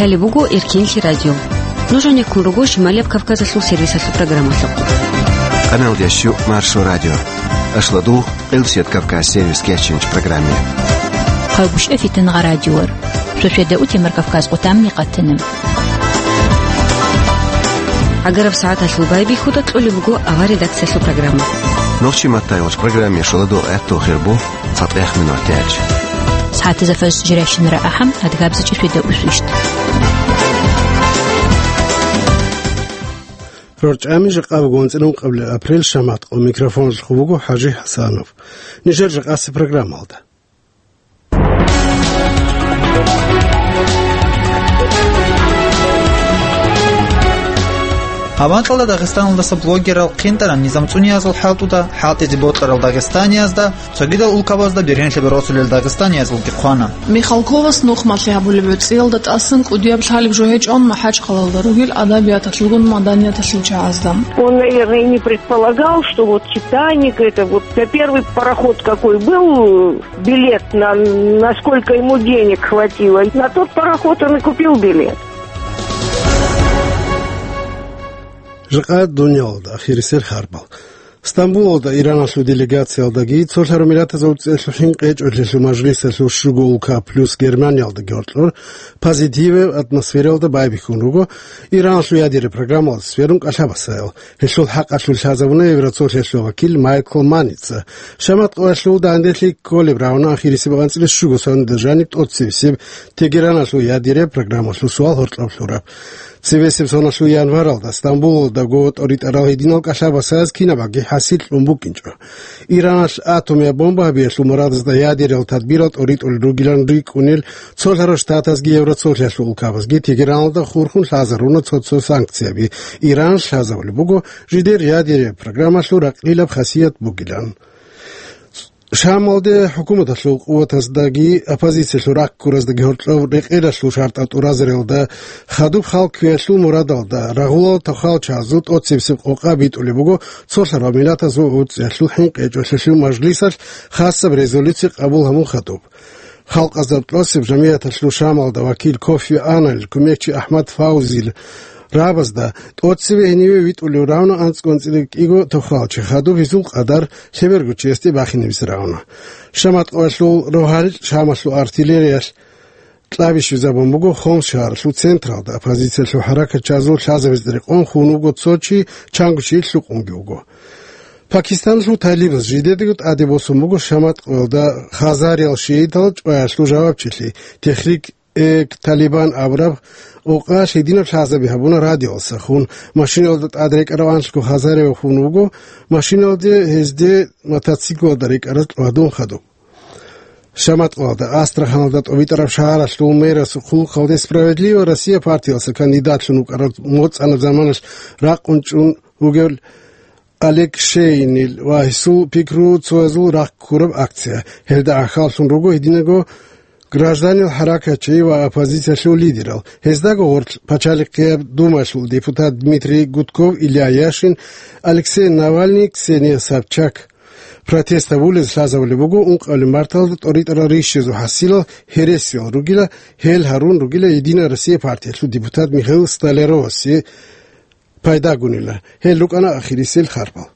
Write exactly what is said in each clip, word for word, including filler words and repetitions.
Гьале буго Эркинлъи радио. Нуж гьанеккун руго Шималияб Кавказалъул сервисалъул программалъухъ. Къаналдеш щук Маршо радио. Ашлодугъ Къилсият Кавказ сервис кечинч программе. Хъайбушев Фитангъа радиор. Шошеда утемар Кавказ къутамни къатана. Агараб сагӀаталъул байбихьуда кьолеб буго авар редакциялъул программа. Нохчи маттайгъоч программе шоладугъ гӀаттул хирбу. ЦатӀех минутач. СагӀатазда фажр жирайщинара ахӀам, адгабзачӀи шведа усвищт. РорчӀами жакъа буго анцӀила ункъабилеб апрель, шамат къо микрофонлъухъ буго ХӀажи ХӀасанов. Нижер жакъасеб программалда. Гьаб анкьалда Дагъистаналдаса блогерал ХъинтӀараб низам цӀуниязул хӀалтӀуда, хӀалтӀизе бокьарал дагъистаниязда, цогидал улкабазда бергьенлъи бергьусулел дагъистаниязулги хъвана. Михалковас нухмалъи гьабулеб гӀуцӀиялда тӀасан кӀудияб лъалеб жо гьечӀо МахӀачхъалаялда ругел адабияталъулгун маданияталъул чагӀазда. Он, наверное, и не предполагал, что вот «Титаник», это вот, да, первый пароход какой был, билет на, насколько ему денег хватило. На тот пароход он и купил билет. Жакъа дуниялалда ахирисел харбал. Стамбулалда Ираналъул делегациялдаги цолъарав миллатазул цӀехлъухӀин къечӀолъелъул мажлисалъул щуго улка плюс Германиялдаги гьоркьор позитиве атмосфералда байбихьун руго Ираналъул ядераб программалда сверун кӀалъабасаял. Гьелъул хӀакъалъулъ лъазабуна Евроцолъиялъул вакил Майкл Маница. Шамат къоялъул данделъи кколеб рагӀуна ахирисеб анцӀила щуго соналда жаниб тӀоцебесеб Тегераналъул ядераб программалъул суал гьоркьоб лъураб. Цебесеб соналъул январалда Стамбулалдаго тӀоритӀарал гьединал кӀалъабасаяз кинабаги хӀасил кьун букӀинчӀо. Ираналъ атомияб бомба гьабиялъул мурадазда ядерал тадбирал тӀоритӀулел ругилан рикӀкӀунел цолъарав штатазги Евроцолъиялъул улкабазги Тегераналда хурхун лъазаруна цо-цо санкцияби. Иран лъазабулеб буго жидер ядераб программалъул ракълилаб хасият бугилан. Шамалде хӀукуматалъул къуватаздаги оппозициялъул раккураздаги гьоркьоб рекъелалъул шартӀал тӀуразариялда хадуб хал кквеялъул мурадалда рагъулал тохал чагӀазул тӀоцебесеб къокъа битӀулеб буго цолъарав миллатазул гӀуцӀиялъул хӀинкъичӀолъиялъул мажлисалъ хасаб резолюция къабул гьабун хадуб. Халкъазда тӀоцеб жамигӀаталъул Шамалда вакил Кофи Аннанил кумекчи Ахмад Фаузил рабазда тӀоцебе гьениве витӀулев равна анцӀго-анцӀила кӀиго тохал чи хадуб гьезул къадар лъеберго чиясде бахинабизе равна. Шамат къоялъул рогьалил Шамалъул артиллериялъ кьабищизабун буго Хомс шагьаралъул централда, оппозициялъул хӀаракатчагӀазул лъазабазда рекъон хун вуго цо чи, чанго чи лъукъунги вуго. Пакистаналъул талибаз жидедаго тӀаде босун буго Шамат къоялда хазариял шиитал чӀваялъул жавабчилъи, Техрик э Талибан абураб къокъа лъидинаб лъазаби гьабуна радиоялдаса хун, машиналда тӀад рекӀарав анлъго хазарияв хун вуго, машиналде гьезде мотоциклалда рекӀараз тӀадвуссун хадуб. Шамат къоялда Астраханалда тӀобитӀараб шагьаралъул мэрасул хъулухъалде «Справедливая Россия» партиялдаса кандидатлъун вукӀарав моцӀанаб заманалъ ракъун чӀун вугев Олег Шейинил ва гьесул пикру цоязул рахъ ккураб акция. Гьелда гӀахьаллъун руго гьединаго гражданил хӀаракатчи ва оппозициялъул лидерал. Гьездаго гъорлъ Пачалихъияб Думаялъул депутат Дмитрий Гудков, Илья Яшин, Алексей Навальный, Ксения Собчак. Протест гьабулез лъазабулеб буго ункъабилеб марталда тӀоритӀарал рищезул хӀасилал гьересиял ругила, гьел гьарун ругила «Единая Россия» партиялъул депутат Михаил Столяровасе пайдагунила. Гьел рукӀана ахирисел харбал.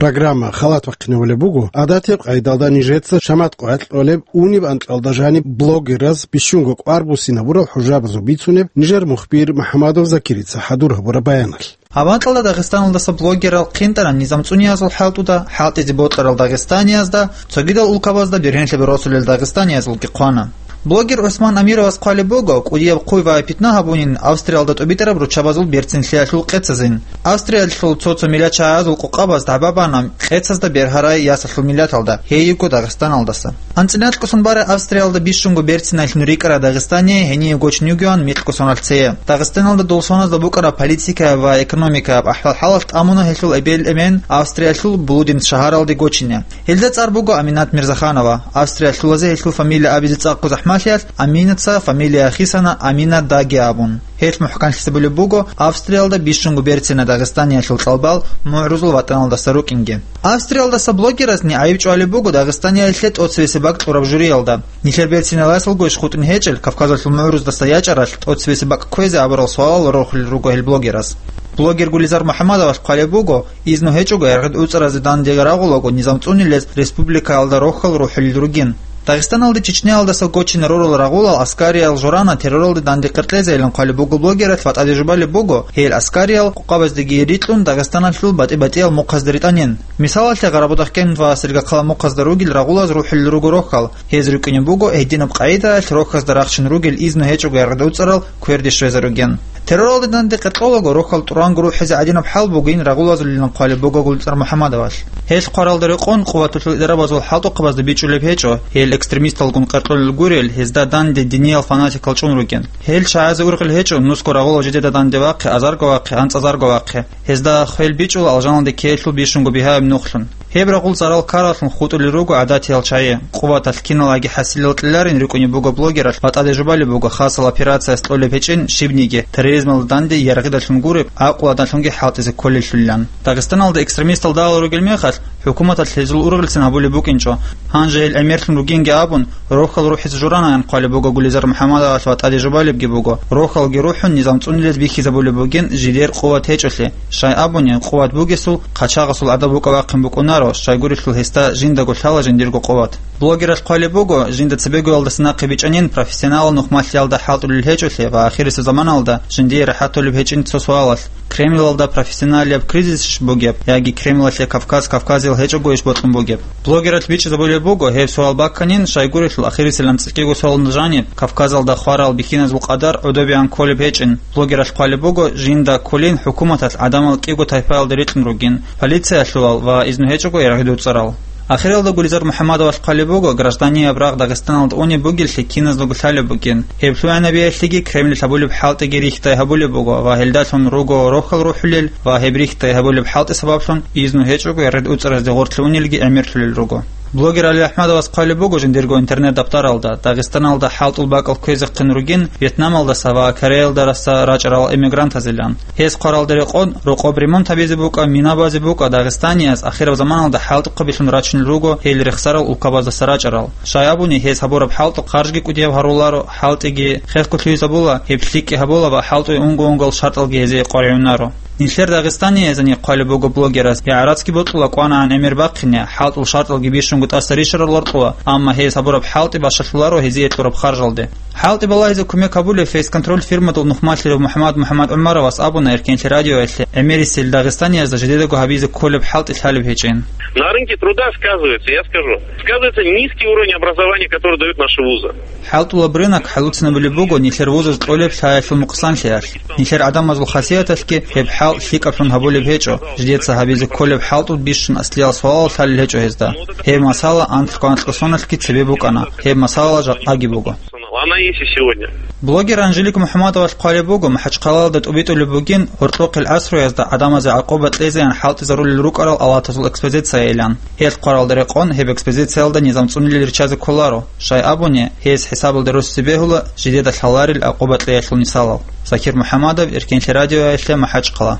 Программа халат бахъинабулеб буго, гӀадатияб къайдалда нижеца Шамат къоялъ кьолеб униб анкьалда жаниб блогераз бищунго кӀвар буссинабурал хӀужабазул бицунеб нижер мухбир МухӀамадов Закирица хӀадур гьабураб баяналъ. Гьаб анкьалда Дагъистаналдаса блогерал ХъинтӀараб низам цӀуниязул хӀалтӀуда, хӀалтӀизе бокьарал дагъистаниязда, цогидал улкабазда бергьенлъи бергьусулел дагъистаниязулги хъвана. Блогер ГӀусман Амировас хъвалеб буго, кӀудияб хъуй ва питна гьабунин Австриялда тӀубитӀараб руччабазул берцинлъиялъул къецазин. Австриялъул цо-цо миллатчагӀазул къокъабаз дагӀба бана къецазда бергьарай ясалъул миллаталда, гьей йиго Дагъистаналдаса. АнцӀила анкьго сон барай Австриялда бищунго берцинайлъун рикӀкӀарай дагъистани гьение гочун йугеван микьго соналъ цее. Дагъистаналда дол соназда букӀараб политикаяб ва экономикаяб ахӀвал-хӀалалъ тӀамуна гьелъул эбел-эмен Австриялъул Блуденс шагьаралде гочине. Гьелда цӀар буго Аминат Мирзаханова. Австриялъулазе гьелъул фамилия абизе цӀакъго захӀмат. Амалиялъ Аминаца фамилия хисана Амина Даги абун. Гьелъ мухӀканлъизе бугеб буго Австриялда бищунго берцина дагъистаниялъул кьалбал мугӀрузул ватӀаналдаса рукӀинги. Австриялдаса блогерасни гӀайиб чӀвалеб буго Дагъистаниялъе тӀоцебесеб бакӀ кьураб журиялда. Нилъер берциналъулгойищ хутӀун гьечӀел Кавказалъул мугӀруздаса ячӀаралъ тӀоцебесеб бакӀ кквезе абурал суалал рорхулел руго гьел блогерас. Блогер Гулизар МухӀаммадовалъ хъвалеб буго, изну гьечӀого яргъи уцӀаразе данде рагъулаго низам цӀунилез республикаялда рохьал рухӀулел ругин. Дагъистаналде Чечниялдаса гочине ророл рагъулал аскариял журана терроралде данде къеркьезейилан хъвалеб буго блогералъ ва тӀаде жубалеб буго, гьел аскариял къукъабаздеги рикьун Дагъистаналъул батӀи-батӀиял мухъазде ритӀанин. Мисалалъе, Гъарабудахъкент ва Сергокъала мухъазда ругел рагъулаз рухӀулел руго рохьал. Гьез рукӀине буго гьединаб къагӀидаялъ рохьазда рахчун ругел изну гьечӀого яргъи уцӀарал кверде щвезе ругин. Терроралде данде къеркьолаго рохьал тӀуранго рухӀизе гӀадинаб хӀал бугин рагъулазулилан хъвалеб буго Гулизар МухӀаммадовалъ. Гьелъ хъваралда рекъон къуваталъул идарабазул хӀалтӀухъабазда бичӀчӀулеб гьечӀо, гьел экстремисталгун къеркьолел гурел, гьезда данде диниял фанатикал чӀун ругин. Гьел чагӀазе ургъел гьечӀо, нусго рагъулал жидеда данде вахъе, азарго вахъе, анцӀазарго вахъе. Гьезда хвел бичӀчӀула алжаналде ккеялъул бищунго бигьаяб нухлъун. Гьеб рагъул зарал ккараллъун хутӀулел руго гӀадатиял чагӀи. Къуваталъ киналги хӀасилал кьеларин рукӀунеб буго блогералъ ва тӀаде жубалеб буго хасал операцияс кьолеб гьечӀин щибниги, терроризмалда данде яргъидалъун гуреб, гӀакълуялдалъунги хӀалтӀизе кколеллъулилан. Дагъистаналда экстремистал дагьал ругел мехалъ, хӀукуматалъ гьезул ургъелцин гьабулеб букӀинчӀо. Гьанже гьел гӀемерлъун ругинги абун, рохьал рухӀизе журанаян хъвалеб буго Гулизар МухӀаммадовалъ ва тӀаде жубалебги буго, рохьалги рухӀун низам цӀунилез бихьизабулеб бугин жидер къуват гьечӀолъи. Щай абуни, къуват бугесул, хъачагъасул гӀадаб букӀа-бахъин букӀунаро, щайгурелъул гьесда жиндаго лъала жиндирго къуват. Блогералъ хъвалеб буго, жинда цебегоялдаса нахъе бичӀчӀанин профессионалал нухмалъиялда хӀалтӀулел гьечӀолъи ва ахирисеб заманалда жиндие рахӀатулеб гьечӀин цо суалалъ: Кремлалда профессионалияб кризисищ бугеб, яги Кремлалъе Кавказ кавказиял гьечӀогойищ бокьун бугеб? Блогералъ бичӀчӀизабулеб буго, гьеб суал бакканин, щайгурелъул ахирисилан цӀикӀкӀиго суалалда жаниб, Кавказалда хварал бихьиназул къадар гӀодобегӀан кколеб гьечӀин. Блогералъ хъвалеб буго, жинда кколин хӀукуматалъ гӀадамал кӀиго тайпаялда рикьун ругин, полициялъувал ва изну гьечӀого яргъи уцӀарал. Ахиралда Гулизар МухӀаммадовалъ хъвалеб буго, гражданияб рагъ Дагъистаналда унеб бугеллъи киназдаго лъалеб бугин. Гьеб лъугӀанабиялъеги Кремлалъ гьабулеб хӀалтӀиги рихьдай гьабулеб буго ва гьелдалъун руго рохьал рухӀулел ва гьеб рихьдай гьабулеб хӀалтӀи сабаблъун изну гьечӀого яргъи уцӀаразде гъорлъе унелги гӀемерлъулел руго. Блогер Али Ахмадовас хъвалеб буго жиндирго интернет-даптаралда, Дагъистаналда хӀалтӀул бакӀал кквезехъин ругин Вьетнамалдаса ва Кореялдаса рачӀарал эмигрантазилан. Гьес хъваралда рекъон, рокъоб ремонт гьабизе букӀа, мина базе букӀа дагъистанияз ахираб заманалда хӀалтӀухъабилъун рачунел руго гьел рехсарал улкабаздаса рачӀарал. Щай абуни, гьез гьабураб хӀалтӀухъ харжги кӀудияб гьаруларо, хӀалтӀиги хехго лъугьизабула, гьеб лъикӀги гьабула ва хӀалтӀуе унго-унгоял шартӀалги гьезие къваригӀунаро. Нилъер дагъистаниязани хъвалеб буго блогерас, гӀарацги бокьула кӀванагӀан гӀемер бахъине, хӀалтӀул шартӀалги бищунго тӀаса ришарал роркьула, амма гьез гьабураб хӀалтӀи бащалъуларо гьезие кьураб харжалде. ХӀалтӀи балагьизе кумек гьабулев «Фейс-контроль» фирмадул нухмалъарав МухӀаммад МухӀаммад ГӀумаровас абуна Эркен телерадиоялъе гӀемерисел дагъистаниязда жидедаго гьабизе кколеб хӀалтӀи лъалеб гьечӀин. На рынке труда сказывается, я скажу, сказывается низкий уровень образования, который дают наши вузы. ХӀалтӀулаб рынок хӀалуцинабулеб буго нилъер вузаз кьолеб лъаялъул нукъсанлъиялъ. Нилъер гӀадамазул хасияталъги гьеб хӀалтӀ лъикӀаблъун гьабулеб гьечӀо, жидеца гьабизе кколеб хӀалтӀул бищун аслиял суалал лъалел гьечӀо гьезда. Гьеб масала анлъго-анкьго соналъги цебе букӀана, гьеб масалала жакъаги буго. Она есть и сегодня. Блогер Анжелика МухӀаммадовалъ хъвалеб буго, МахӀачхъалалда тӀубитӀулеб бугин гьоркьохъел гӀасруязда гӀадамазе гӀакъуба кьезеян хӀалтӀизарулел рукӀарал алатазул экспозицияйилан. Гьелъ хъваралда рекъон гьеб экспозициялда низам цӀунилел риччазе кколаро, щай абуни, гьез хӀисабалда росизе бегьула жидеда лъаларел гӀакъуба кьеялъул мисалал. Закир МухӀаммадов, Эркен телерадиоялъе, МахӀачхъала.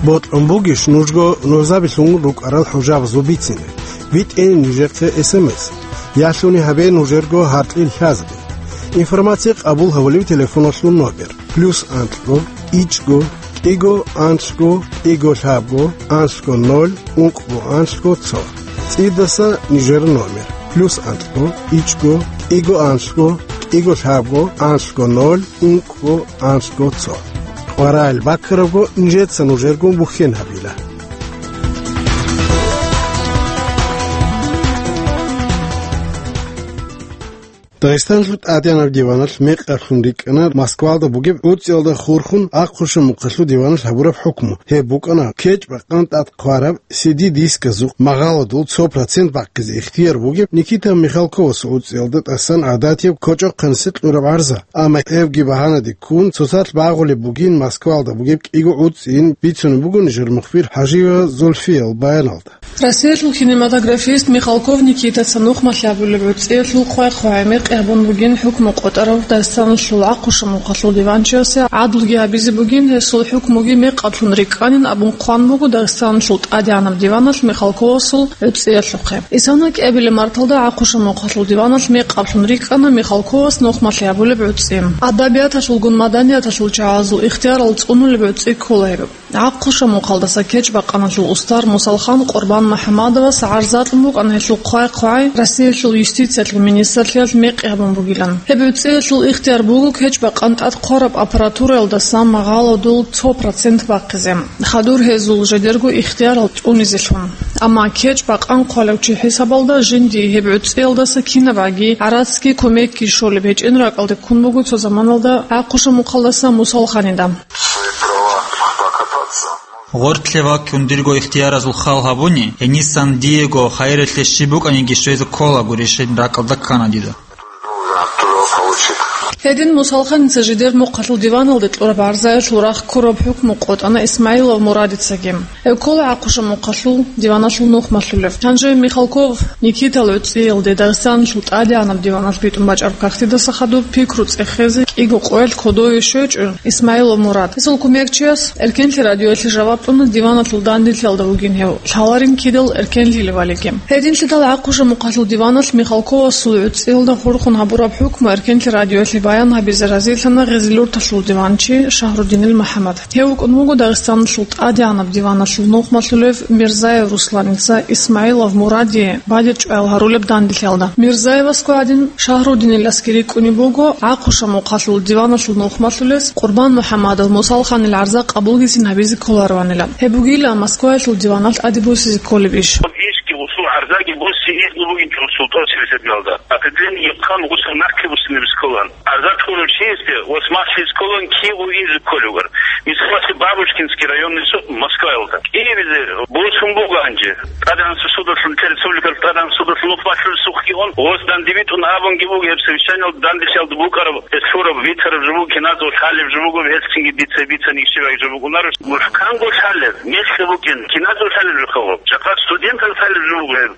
Бокьун бугищ нужго нужзабилъун рукӀарал хӀужабазул бицине? БитӀе нижехъе эс эм эс. Ялъуни гьабе нужерго гьаркьил лъазабе. Информация къабул гьабулев телефоналъул номер: плюс анлъго, ичӀго, кӀиго анлъго, кӀиго лъабго, анлъго ноль, ункъго анлъго цо. ЦӀидаса нижер номер: плюс анлъго, ичӀго, кӀиго анлъго, кӀиго лъабго, анлъго ноль, ункъго анлъго цо. КъваригӀел баккарабго нижеца нужергун бухьен гьабила. Дагъистаналъул тӀадегӀанаб диваналъ мекъаблъун рикӀкӀана Москвалда бугеб гӀуцӀиялда хурхун Ахъушамухъалъул диваналъ гьабураб хӀукму. Гьеб букӀана кечӀ-бакъан тӀад хъвараб си ди дисказухъ магъаладул цо процент бахъизе ихтияр бугеб Никита Михалковасул гӀуцӀиялда тӀасан гӀадатияб кочӀохъаниса кьураб гӀарза. Амма гьебги багьанаде ккун, цоцалъ багъулеб бугин Москвалда бугеб кӀиго гӀуцӀийин, бицунеб буго нижер мухбир ХӀажиева Зульфиял баяналда. Россиялъул кинематографист Михалков Никитаца нухмалъи гьабулеб гӀуцӀиялъул хъвай-хъвай мекъи гьабун бугин хӀукму къотӀарав Дагъистаналъул Ахъушамухъалъул диванчиясе гӀадлуги гьабизе бугин, гьесул хӀукмуги мекъаблъун рикӀкӀанин абун хъван буго Дагъистаналъул тӀадегӀанаб диваналъ Михалковасул гӀуцӀиялъухъе. Исана кӀиабилеб марталда Ахъушамухъалъул диваналъ мекъаблъун рикӀкӀана Михалковас нухмалъи гьабулеб гӀуцӀи. Адабияталъулгун маданияталъул чагӀазул ихтиярал цӀунулеб гӀуцӀи ккола гьеб. Ахъушамухъалдаса кечӀ-бакъаналъул устар Мусалхан Къурбан МухӀаммадовас гӀарза кьун букӀана гьелъул хъвай-хъвай Россиялъул юстициялъул министрлъиялъ мекъи гьабун бугилан. Гьеб гӀуцӀиялъул ихтияр буго кечӀ-бакъан тӀад хъвараб аппаратуралдасан магъаладул цо процент бахъизе, хадур гьезул жидерго ихтиярал тӀунизелъун. Амма кечӀ-бакъан хъвалев чи хӀисабалда жиндие гьеб гӀуцӀиялдаса кинабгӀаги гӀарацги кумекги щолеб гьечӀин ракӀалде ккун буго цо заманалда Ахъушамухъалдаса Мусалханида. Свои права покопаться. Гъоркье ваккун дирго ихтияразул хал гьабуни, гьенисан диего хайиралъе щиб букӀаниги щвезе кколаго решение ракӀалда ккана дида. Гьедин Мусалханица жидер мухъалъул диваналде кьураб гӀарзаялъул рахъ ккураб хӀукму къотӀана Исмаилов Мурадицаги. Гьев ккола Ахъушамухъалъул диваналъул нухмалъулев. Гьанже Михалков Никитал гӀуцӀиялде Дагъистаналъул тӀадегӀанаб диваналъ битӀун бачӀараб кагътидаса хадуб пикру цӀехезе кӀиго къоялъ кодове щвечӀо Исмаилов Мурад. Гьесул кумекчияс Эркенлъи радиоялъе жаваб кьуна диваналъул данделъиялда вугин гьев, лъаларин кидал эркенлъилев валиги. Гьединлъидал Ахъушамухъалъул диваналъ Михалковасул гӀуцӀиялда хурхун гьабураб хӀукму Эркенлъи радиоялъе баян гьабизе разилъана Гъезилурталъул диванчи Шагьрудинил МухӀаммад. Гьев вукӀун вуго Дагъистаналъул тӀадегӀанаб диваналъул нухмалъулев Мирзаев Русланица Исмаилов Мурадие бадиб чӀваял гьарулеб данделъиялда. Мирзаевасго гӀадин, Шагьрудиниласги рикӀкӀунеб буго Ахъушамухъалъул диваналъул нухмалъулес Къурбан МухӀаммадов Мусалханил гӀарза къабулгицин гьабизе кколароанила. Гьеб бугила Москваялъул диваналъ тӀаде босизе кколеб иш. Ишги гъусул гӀарзаги боси изну бугин жо султӀан сирсабиялда. Определение хъан гъусул нахъе бусине бисколан. Азат гьурав чиясде ва смахлъи сколан кигъу инзе кколевгар. Мисалалъе, Бабушкинский районный суд Москваялда. КӀиабизе босун буго гьанже. ТӀадегӀанасеб судалъун, республикалъ тӀадегӀанасеб судалъун нухмалъулесухъги ун, гъос дандибитӀун абунги буго, гьеб совещаниялда данделъиялда букӀараб, гьес лъураб, битараб жо буго, киназул хӀалеб жо буго, гьелцинги дица бицани ишибаги жо бугунаро. МухӀканго лъалеб, мехлъи букӀин, киназул хӀалеб жо хъалгъаб. Жакъа студентал лъалеб жо буго гьеб.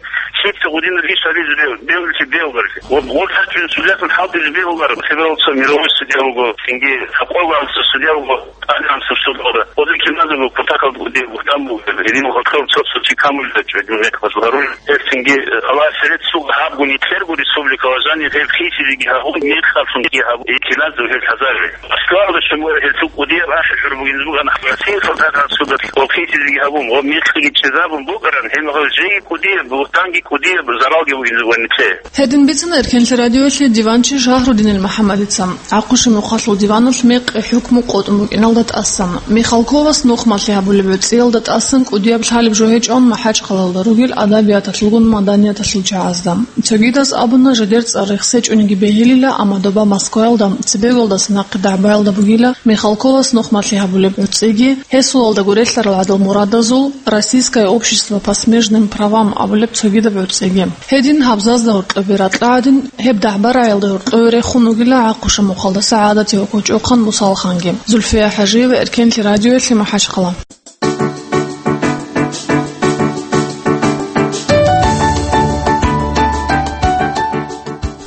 Лъица гъудинаб иш гьабизе бев-, бевлъи бевгъарги. Ва гъор лъачӀун судьялъун хӀалтӀизе бевгъар. Лъебералца мировой судья вуго, цинги хӀакъолгӀанца судья вуго, тӀадегӀанасеб судалда. Гъодин киназего кутакалда гъудин бугьтан буго. Гьедин гъоркьоб цо-цо чи камулда чӀведин мекъ базларул. Гьел цинги Аллагьас рецц буго гьабгун итлъерго республикала жанир гьеб хисизеги гьабун, мекъалъунги гьабун, киназего гьел хӀазари. Москвалда щун буго гьелъул кӀудияб ахӀи-хӀур бугин буган, Россиялъул тӀадегӀанасеб судалъ гъоб хисизеги гьабун, гъоб мекъиги чӀезабун бугаран, гьеб мехалъ жеги кӀудияб, бугьтанги кӀудияб, заралги бугин буган нилъее. Гьедин бицана Эркенлъи радиоялъе диванчи Шагьрудинил МухӀаммадица Ахъушамухъалъул диваналъ мекъи хӀукму къотӀун букӀиналда тӀасан. Михалковас нухмалъи гьабулеб гӀуцӀиялда тӀасан кӀудияб лъалеб жо гьечӀон МахӀачхъалаялда ругел адабияталъулгун маданияталъул чагӀазда. Цогидаз абуна, жидер цӀар рехсечӀониги бегьилила, амма доба Москваялда, цебеголдаса нахъе дагӀбаялда бугила Михалковас нухмалъи гьабулеб гӀуцӀиги, гьесулалдаго релълъарал гӀадал мурадазул «Российское общество по смежным правам» абулеб цогидаб гӀуцӀиги. Гьедин гьабзазда гьоркьобе ракьа гӀадин, гьеб дагӀба-рагӀиялда гьоркьове рехун вугила Ахъушамухъалдаса гӀадатияб кочӀохъан Мусалханги. Зульфия ХӀажиева, Эркенлъи радиоялъе, МахӀачхъала.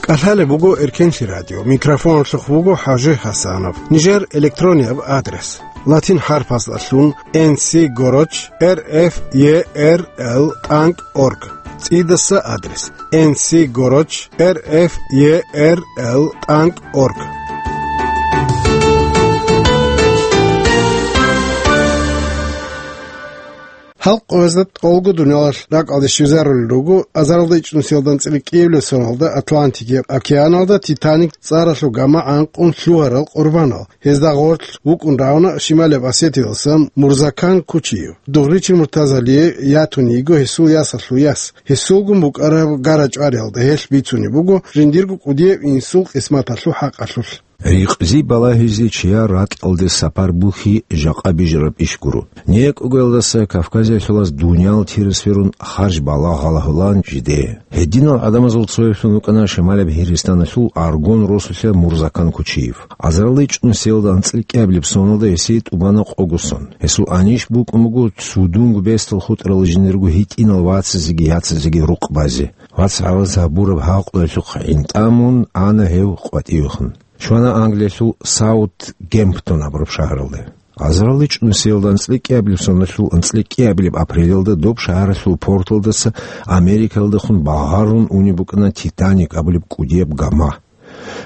КӀалъалеб буго Эркенлъи радио. Микрофоналъухъ вуго ХӀажи ХӀасанов. Нижер электронияб адрес: латин хӀарпаздалъун N C гороч R F E R L тӀанкӀ org. ЦӀидаса адрес: N C гороч R F E R L тӀанкӀ org. Халкъ гьезда тӀолго дуниялалъ ракӀалде щвезарулел руго азаралда ичӀнусиялда анцӀила кӀиабилеб соналда Атлантикияб океаналда «Титаник» цӀаралъул гама гӀанкъун лъугьарал къурбанал. Гьезда гъорлъ вукӀун равна Шималияб Осетиялдасан Мурзакан Кучиев. Дугъричил Муртазалие ятун йиго гьесул ясалъул яс. Гьесулгун букӀараб гара-чӀвариялда гьелъ бицунеб буго жиндирго кӀудияб инсул къисматалъул хӀакъалъулъ. Рикъзи балагьизе чияр ракьалде сапар бухьи жакъа бижараб иш гуро. НекӀугоялдаса Кавказалъулас дуниял тира сверун харж балагь гьалагьулан жидее. Гьединал гӀадамазул цояблъун вукӀана Шималаб Гьиристаналъул Аргун росулъа Мурзакан Кучиев. Азаралда ичӀнусиялда анцӀила кӀиабилеб соналда гьесие тӀубана къого сон. Гьесул анищ букӀун буго цудунго бесдал хутӀарал жиндирго гьитӀинал вацазеги яцазеги рукъ базе. Вац гьалаз гьабураб гьакъуялъухъ гӀинтӀамун ана гьев къватӀивехун. Щвана Англиялъул Саутгемптон абураб шагьаралде. Азаралда ичӀнусиялда анцӀила кӀиабилеб соналъул анцӀила кӀиабилеб апрелалда доб шагьаралъул порталдаса Америкалдехун багъарун унеб букӀана «Титаник» абулеб кӀудияб гама.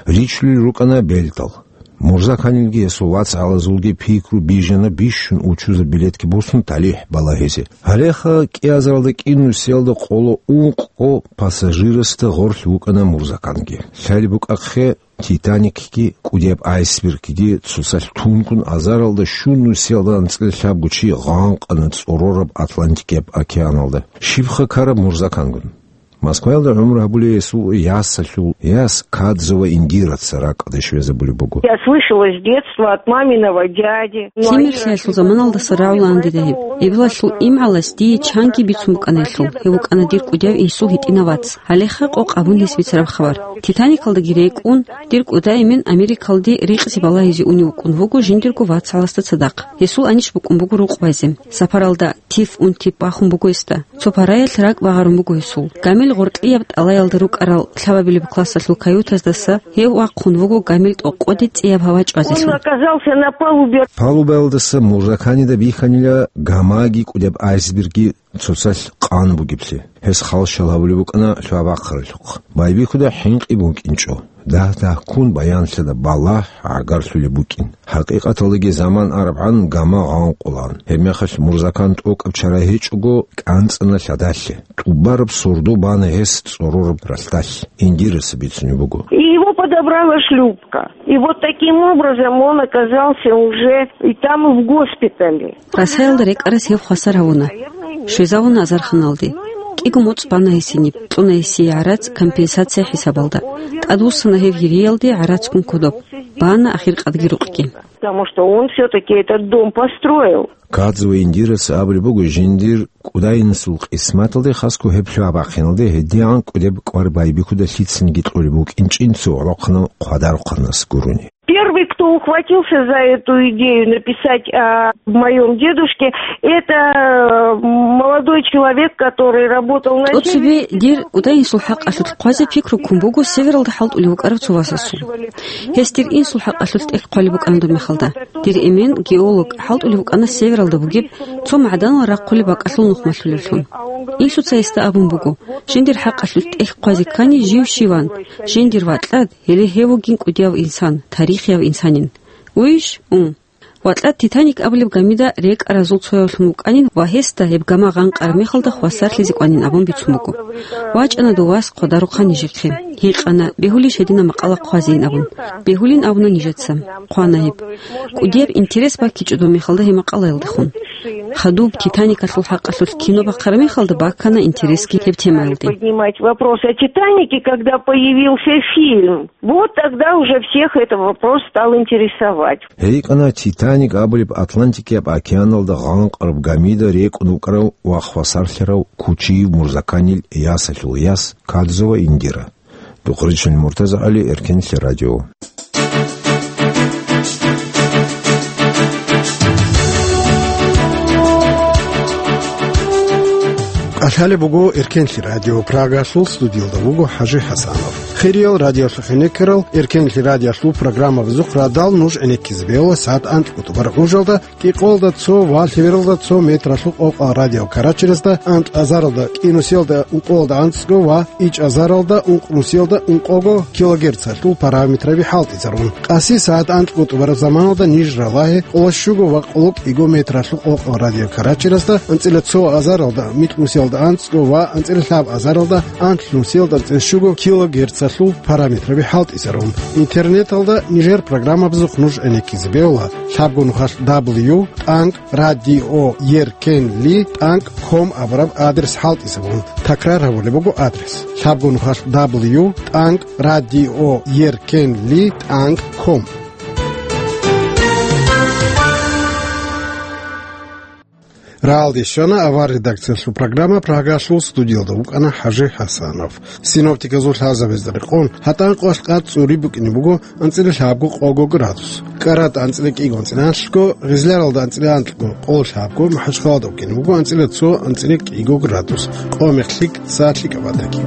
Ричулел рукӀана белтӀал. Мурзаканилги гьесул вац гьалазулги пикру бижана бищун учузаб билетги босун талихӀ балагьизе. Гьалеха кӀиазаралда кӀинусиялда къоло ункъо пассажирасда гъорлъ вукӀана Мурзаканги. Лъалеб букӀахъе, «Титаникги» кӀудияб айсбергги цоцалъ тунгун азаралда щунусиялда анцӀила лъабго чи гъанкъана цӀорораб Атлантикияб океаналда. Щибха ккараб Мурзакангун? Москваялда гӀумру гьабулей гьесул ясалъул яс Кадзова Индираца ракӀалде щвезабулеб буго. Я слышала с детства от маминого дяди. Лъимерлъиялъул заманалдаса рагӀулаан дида гьеб. Эбелалъул имгӀалас дие чанги бицун букӀана гьелъул. Гьев вукӀана дир кӀудияв инсул гьитӀинав вац. Гьалеха къокъ абун гьес бицараб хабар. «Титаникалдаги» рекӀун, дир кӀуда Эмен Америкалде рикъзи балагьизе унев вукӀун вуго жиндирго вацгӀаласда цадахъ. Гьесул анищ букӀун буго рукъ базе. Сапаралда тиф-унтиф бахун буго гьесда. Цо параялъ ракӀ багъарун буго гьесул. Гамил гъоркьияб тӀалаялда рукӀарал лъабабилеб классалъул каютаздаса гьев вахъун вуго гамил тӀокъоде цӀияб гьава чӀвазелъун. Он оказался на палубе. Палубаялдаса Мурзаканида бихьанила гамаги кӀудияб айсбергги цоцалъ къан бугеблъи. Гьес халщал гьабулеб букӀана лъугьа-бахъаралъухъ. Байбихьуда хӀинкъи букӀинчӀо. Дагь-дагьккун баянлъида балагь гӀагарлъулеб букӀин. ХӀакъикъаталдаги заман арабгӀан гама гъанкъулаан. Гьебмехалъ Мурзакан тӀокӀаб чара гьечӀого, кӀанцӀана лъадалъе. ТӀубараб сордо бана гьес цӀорораб ралъдалъ. Индираса бицунеб буго. И его подобрала шлюпка. И вот таким образом он оказался уже и там, и в госпитале. Расаялда рекӀарас гьев хвасар гьавуна. Щвезавуна азарханалде. КӀиго моцӀ бана гьесиниб, кьуна гьесие гӀарац компенсация хӀисабалда. ТӀадвуссана гьев гьириялде гӀарацгун кодоб. Бана ахиркъадги рукъги. Потому что он всё-таки этот дом построил. Кадзова Индирас абулеб буго жиндир кӀудайинасул къисматалде, хасго гьеб лъугьа-бахъиналде гьедигӀан кӀудеб кӀвар байбихьуда лъицаниги кьолеб букӀинчӀин цо гӀолохъанав хъвадарухъанас гурони. Первый, кто ухватился за эту идею написать о моём дедушке, это, э, молодой человек, который работал на... ТӀоцебе дир кӀудайинсул хӀакъалъулъ хъвазе пикру ккун буго Севералда хӀалтӀулев вукӀарав цо васасул. Гьес дир инсул хӀакъалъулъ тӀехь хъвалеб букӀана доб мехалда. Дир эмен, геолог, хӀалтӀулев вукӀана Севералда бугеб цо магӀданалал рахъулеб бакӀалъул нухмалъулевлъун. Инсуца гьесда абун буго: «Жиндир хӀакъалъулъ тӀехь хъвазе ккани жив щиван, жиндир вакьад, гьеле гьев вугин кӀудияв инсан, тарихияв инсанин». Уйищ? Ун. Вакьад «Титаник» абулеб гамида рекӀаразул цоявлъун вукӀанин ва гьесда гьеб гама гъанкъараб мехалда хвасарлъизе кӀванин абун бицун буго. ВачӀана дов вас хъвадарухъан нижехъе. Гьикъана, бегьулищ гьединаб макъала хъвазейин абун. Бегьулин абуна нижеца. Хъвана гьеб. КӀудияб интерес баккичӀо доб мехалда гьеб макъалаялдехун. Хадуб «Титаникалъул» хӀакъалъулъ кино бахъараб мехалда баккана интересги гьеб темаялде. Поднимать вопрос о «Титанике», когда появился фильм. Вот тогда уже всех этот вопрос стал интересовать. ГьейкӀана «Титаник» абулеб Атлантикияб океаналда гъанкъараб гамида рекӀун вукӀарав ва хвасарлъарав Кучиев Мурзаканил ясалъул яс Кадзова Индира. Духъричил МуртазагӀали, Эркенлъи радио. Алъалеб буго Эркенлъи радио, Прагалъул студиялда вуго ХӀажи ХӀасанов. Хириял радиолъухъе некерал, Эркенлъи радиолъул программабазухъ радал нуж гӀенеккизе бегьула сагӀат анкьго тӀубараб гӀужалда, кӀикъоялда цо ва лъебералда цо метралъул къокъал радиокарачерасда, анкь азаралда кӀинусиялда ункъоялда анцӀго ва ичӀ азаралда ункънусиялда ункъого килогерцалъул параметраби хӀалтӀизарун. Къаси сагӀат анкьго тӀубараб заманалда ниж ралагье къоло щуго ва къоло кӀиго метралъул къокъал радиокарачерасда, анцӀила цо азаралда микьнусиялда анцӀго ва анцӀила лъаб азаралда анлънусиялда анцӀила щуго килогерцалъул параметраби хӀалтӀизарун. Интернеталда нижер программабазухъ нуж гӀенеккизе бегьула лъабго нухалъ дабл ю тӀанкӀ радио еркенли тӀанкӀ ком абураб адрес хӀалтӀизабун. Такрар гьабулеб буго адрес: лъабго нухалъ дабл ю тӀанкӀ радио еркенли тӀанкӀ ком. Рагьалде щвана авар редакциялъул программа, Прагалъул студиялда вукӀана ХӀажи ХӀасанов. Синоптиказул лъазабазда рекъон, гьатӀан къоялъ къад цӀури букӀине буго анцӀила лъабго къого градус. КӀаратӀа анцӀила кӀиго анцӀила анлъго, Гъизляралда анцӀила анлъго къоло лъабго, МахӀачхъалада букӀине буго анцӀила цо анцӀила кӀиго градус. Къо-мех лъикӀ, са лъикӀаб батаги.